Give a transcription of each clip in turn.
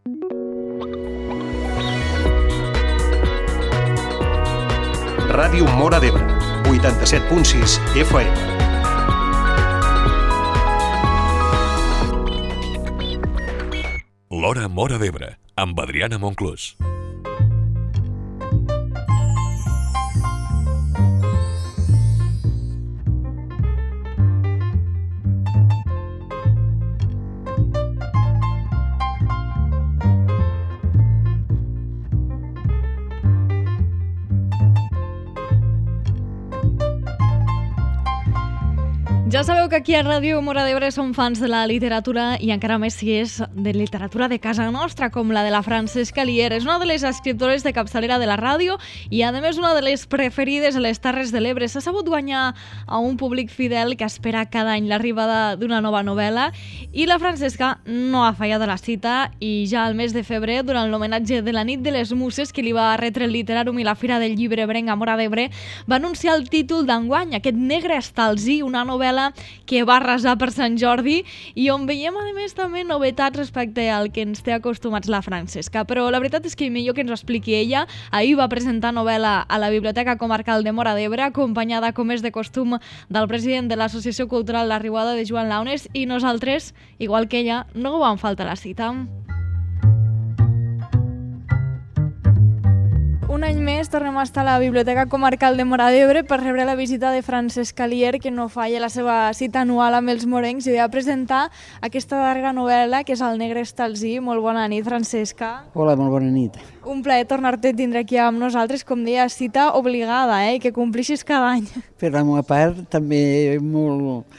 Ràdio Móra d'Ebre, 87.6 FM. L'Hora Móra d'Ebre, amb Adriana Monclús. Ja sabeu que aquí a Ràdio Móra d'Ebre som fans de la literatura i encara més si és de literatura de casa nostra, com la de la Francesca Lier. És una de les escriptores de capçalera de la ràdio i, a més, una de les preferides a les Terres de l'Ebre. S'ha sabut guanyar a un públic fidel que espera cada any l'arribada d'una nova novel·la i la Francesca no ha fallat a la cita i ja al mes de febrer, durant l'homenatge de la Nit de les Muses que li va retre el Literàrum i la Fira del Llibre Ebrenc a Móra d'Ebre, va anunciar el títol d'enguany, aquest Negre Estalzí, una novel·la que va arrasar per Sant Jordi i on veiem, a més, també novetats respecte al que ens té acostumats la Francesca. Però la veritat és que millor que ens ho expliqui ella. Ahir va presentar novel·la a la Biblioteca Comarcal de Móra d'Ebre, acompanyada, com és de costum, del president de l'Associació Cultural La Riuada, de Joan Launes, i nosaltres, igual que ella, no vam faltar a la cita. Un any més tornem a estar a la Biblioteca Comarcal de Móra d'Ebre per rebre la visita de Francesca Lier, que no falla la seva cita anual amb els morencs i ve a presentar aquesta darrera novel·la, que és El Negre Estalzí. Molt bona nit, Francesca. Hola, molt bona nit. Un plaer tornar-te a tindre aquí amb nosaltres, com deia, cita obligada, i que complixis cada any. Per la meva part, també molt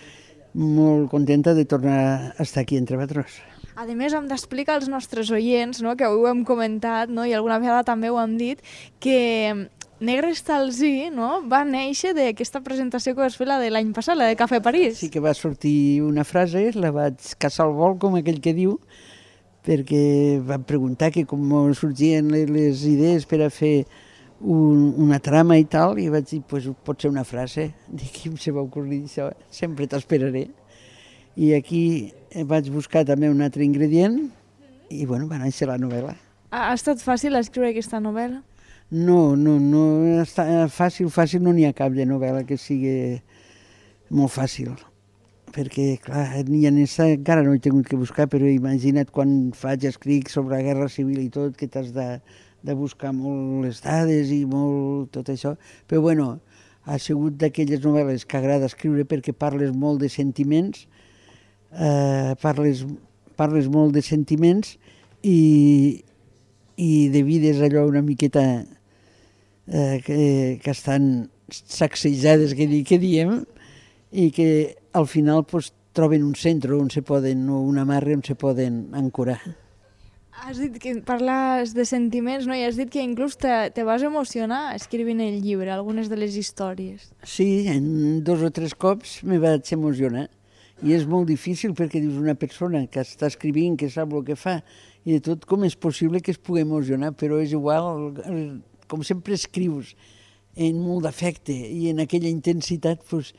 contenta de tornar a estar aquí entre vosaltres. A més, hem d'explicar als nostres oients, no, que avui ho hem comentat, no, i alguna vegada també ho hem dit, que Negre Estalzí, no, va néixer d'aquesta presentació que vas fer, la de l'any passat, la de Cafè París. Sí que va sortir una frase, la vaig caçar al vol, com aquell que diu, perquè van preguntar que com sorgien les idees per a fer una trama i tal, i vaig dir, pues, pot ser una frase. Dic, qui se va ocorrir això? Sempre t'esperaré. I aquí vaig buscar també un altre ingredient i, bueno, va néixer la novel·la. Ha estat fàcil escriure aquesta novel·la? No fàcil no n'hi ha cap de novel·la que sigui molt fàcil, perquè, clar, ni en aquesta encara no he tingut que buscar, però imagina't quan escric sobre la Guerra Civil i tot, que t'has de buscar molt les dades i molt tot això, però, bueno, ha sigut d'aquelles novel·les que agrada escriure perquè parles molt de sentiments, parles molt de sentiments i de vides allò una miqueta que estan sacsejades, que diem, i que al final pues, troben un centre on se poden, o una amarre on se poden ancorar. Has dit que parles de sentiments, no? I has dit que inclús te vas emocionar escrivint el llibre, algunes de les històries. Sí, en 2 o 3 cops me vaig emocionar. I és molt difícil perquè dius una persona que està escrivint, que sap el que fa, i de tot com és possible que es pugui emocionar, però és igual, com sempre escrius en molt d'afecte i en aquella intensitat, doncs,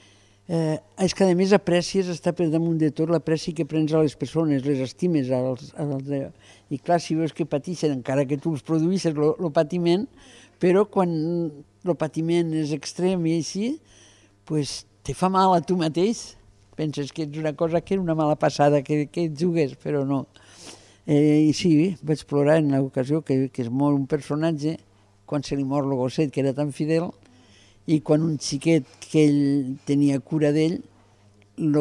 és que a més aprècies, està per damunt de tot l'apreci que prens a les persones, les estimes, i clar, si veus que pateixen, encara que tu els produïssis el patiment, però quan el patiment és extrem i així, doncs te fa mal a tu mateix. Penses que és una cosa que era una mala passada, que et jugués, però no. I sí, vaig plorar en l'ocasió que es mor un personatge, quan se li mor el gosset, que era tan fidel, i quan un xiquet que ell tenia cura d'ell, el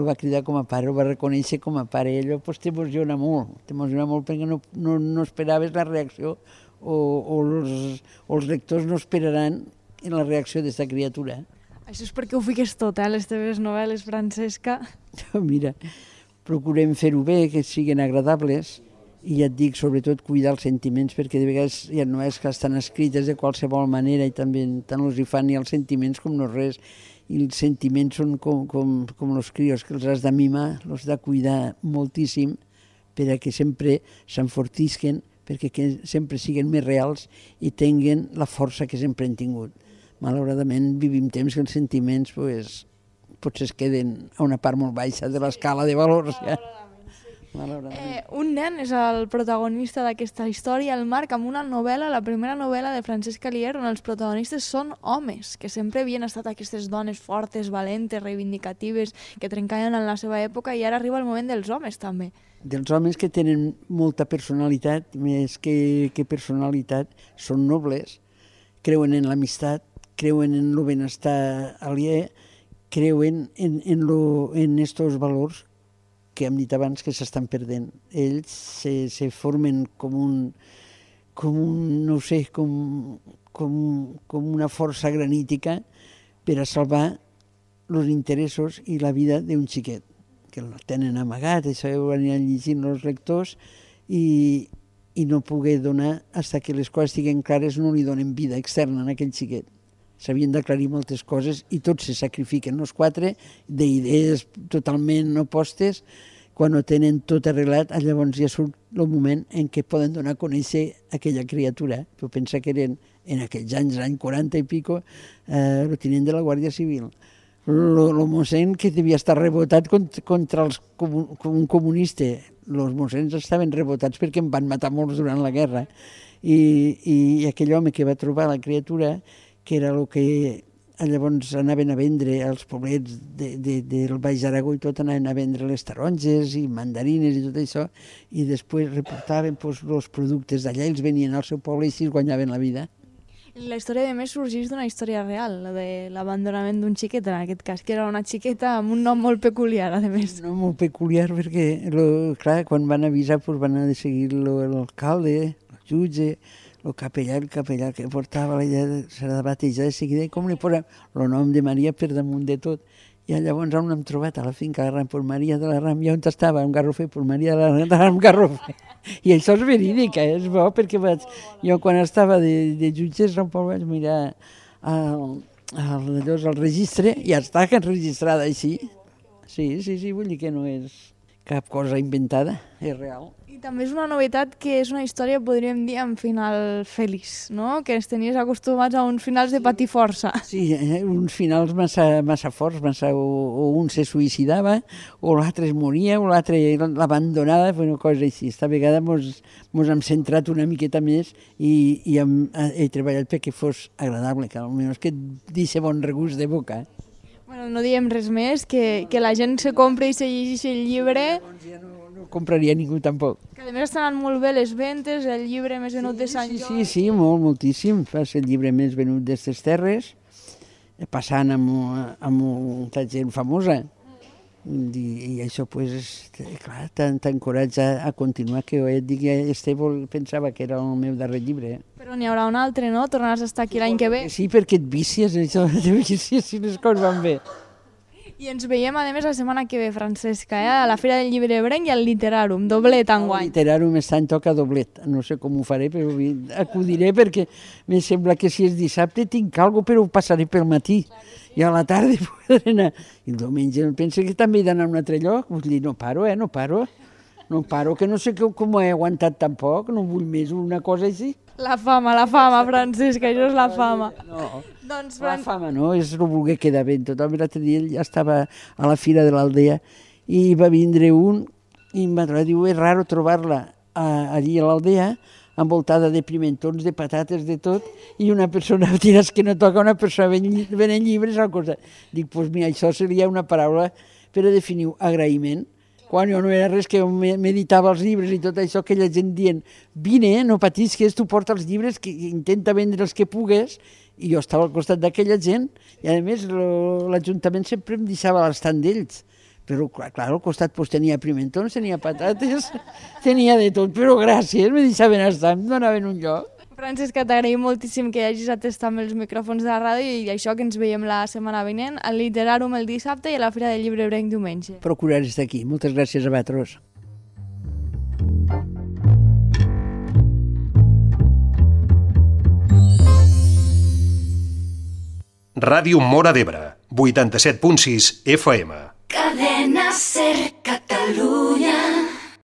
va cridar com a pare, el va reconèixer com a pare, i allò t'emociona molt perquè no esperaves la reacció, o els lectors no esperaran la reacció d'aquesta criatura. Això és perquè ho fiques tot, les teves novel·les, Francesca. Mira, procurem fer-ho bé, que siguin agradables, i ja et dic, sobretot, cuidar els sentiments, perquè de vegades hi ha novel·les que estan escrites de qualsevol manera i també tant els hi fan ni els sentiments com no res. I els sentiments són com els crios, que els has de mimar, els has de cuidar moltíssim perquè sempre s'enfortisquen, perquè sempre siguin més reals i tinguen la força que sempre han tingut. Malauradament vivim temps que els sentiments potser es queden a una part molt baixa de l'escala de valors. Ja. malauradament. Un nen és el protagonista d'aquesta història, el Marc, amb una novel·la, la primera novel·la de Francesc Alier, on els protagonistes són homes, que sempre havien estat aquestes dones fortes, valentes, reivindicatives, que trencaven en la seva època, i ara arriba el moment dels homes, també. Dels homes que tenen molta personalitat, més que personalitat, són nobles, creuen en l'amistat, creuen en el benestar aliè, creuen en estos valors que hem dit abans que s'estan perdent. Ells se formen com una força granítica per a salvar els interessos i la vida d'un xiquet, que el tenen amagat, això ho aniran llegint els lectors, i no poder donar, fins que les coses estiguin clares, no li donen vida externa a aquell xiquet. S'havien d'aclarir moltes coses i tots se sacrifiquen, els quatre, d'idees totalment opostes. Quan ho tenen tot arreglat, llavors ja surt el moment en què poden donar a conèixer aquella criatura. Tu pensa que eren, en aquells anys, l'any 40 i pico, el tinent de la Guàrdia Civil. El mossèn que devia estar rebotat contra un comunista. Els mossèns estaven rebotats perquè en van matar molts durant la guerra. I aquell home que va trobar la criatura, que era el que llavors anaven a vendre als poblets del Baix Aragó i tot, anaven a vendre les taronges i mandarines i tot això, i després reportaven els productes d'allà, ells venien al seu poble i així es guanyaven la vida. La història, de més, sorgeix d'una història real, la de l'abandonament d'un xiquet, en aquest cas, que era una xiqueta amb un nom molt peculiar, a més. Un nom molt peculiar perquè, clar, quan van avisar van a seguir l'alcalde, el jutge, el capellà que portava la idea serà de batejar de seguida, i com li posem el nom de Maria per damunt de tot. I llavors on l'hem trobat a la finca de Ram per Maria de la Ram, i on estava un garrofer per Maria de la Ram garrofer. I això és verídic, és bo, perquè jo quan estava de jutges vaig mirar el registre i està registrada així. Sí, vull dir que no és cap cosa inventada, és real. I també és una novetat que és una història, podríem dir, amb final feliç, no? Que ens tenies acostumats a uns finals de patiforça. Sí, uns finals massa forts, o un se suïcidava, o l'altre es moria, o l'altre l'abandonava, una cosa així. Esta vegada mos hem centrat una miqueta més i he treballat perquè fos agradable, que almenys que deixi bon regust de boca. Bueno, no diem res més, que la gent se compra i se llegeix el llibre. No compraria ningú tampoc. Que a més estan molt bé les ventes, el llibre més venut de Sant Jordi. Sí, moltíssim. És el llibre més venut d'aquestes terres, passant amb molta gent famosa. I això, clar, t'encoratja a continuar, que et digui, Esteve pensava que era el meu darrer llibre. Però n'hi haurà un altre, no? Tornaràs a estar aquí l'any que ve? Sí, perquè et vicies, això, si les coses van bé. I ens veiem, a més, la setmana que ve, Francesca, a la Fira del Llibre Ebrenc i al Literàrum, doblet enguany. El Literàrum està en toca doblet, no sé com ho faré, però acudiré perquè em sembla que si és dissabte tinc alguna cosa, però ho passaré pel matí. I a la tarda podré anar. I el diumenge penso que també he d'anar a un altre lloc. Vull dir, no paro, que no sé com ho he aguantat tampoc, no vull més una cosa així. La fama, Francesca, això és la fama. No, doncs, la fama no, és no voler quedar bé. Tothom l'altre dia ja estava a la Fira de l'Aldea i va vindre un i em va trobar, diu, és raro trobar-la allí a l'Aldea, envoltada de pimentons, de patates, de tot, i una persona, diràs que no toca una persona venent llibres al costat. Dic, doncs mira, això seria una paraula per a definir agraïment. Quan jo no era res, que meditava els llibres i tot això, aquella gent dient, vine, no patisques, tu porta els llibres, que intenta vendre els que pugues, i jo estava al costat d'aquella gent, i a més l'Ajuntament sempre em deixava l'estant d'ells. Però, clar, al costat tenia pimentons, tenia patates, tenia de tot, però gràcies, me deixaven estar, em donaven un lloc. Francesca, t'agraïm moltíssim que hagis atestat amb els micròfons de la ràdio i això, que ens veiem la setmana vinent, al Literàrum el dissabte i a la Fira del Llibre Ebrenc diumenge. Procuraré estar aquí. Moltes gràcies a vosaltres. Ràdio Móra d'Ebre, 87.6 FM. Cadena Ser.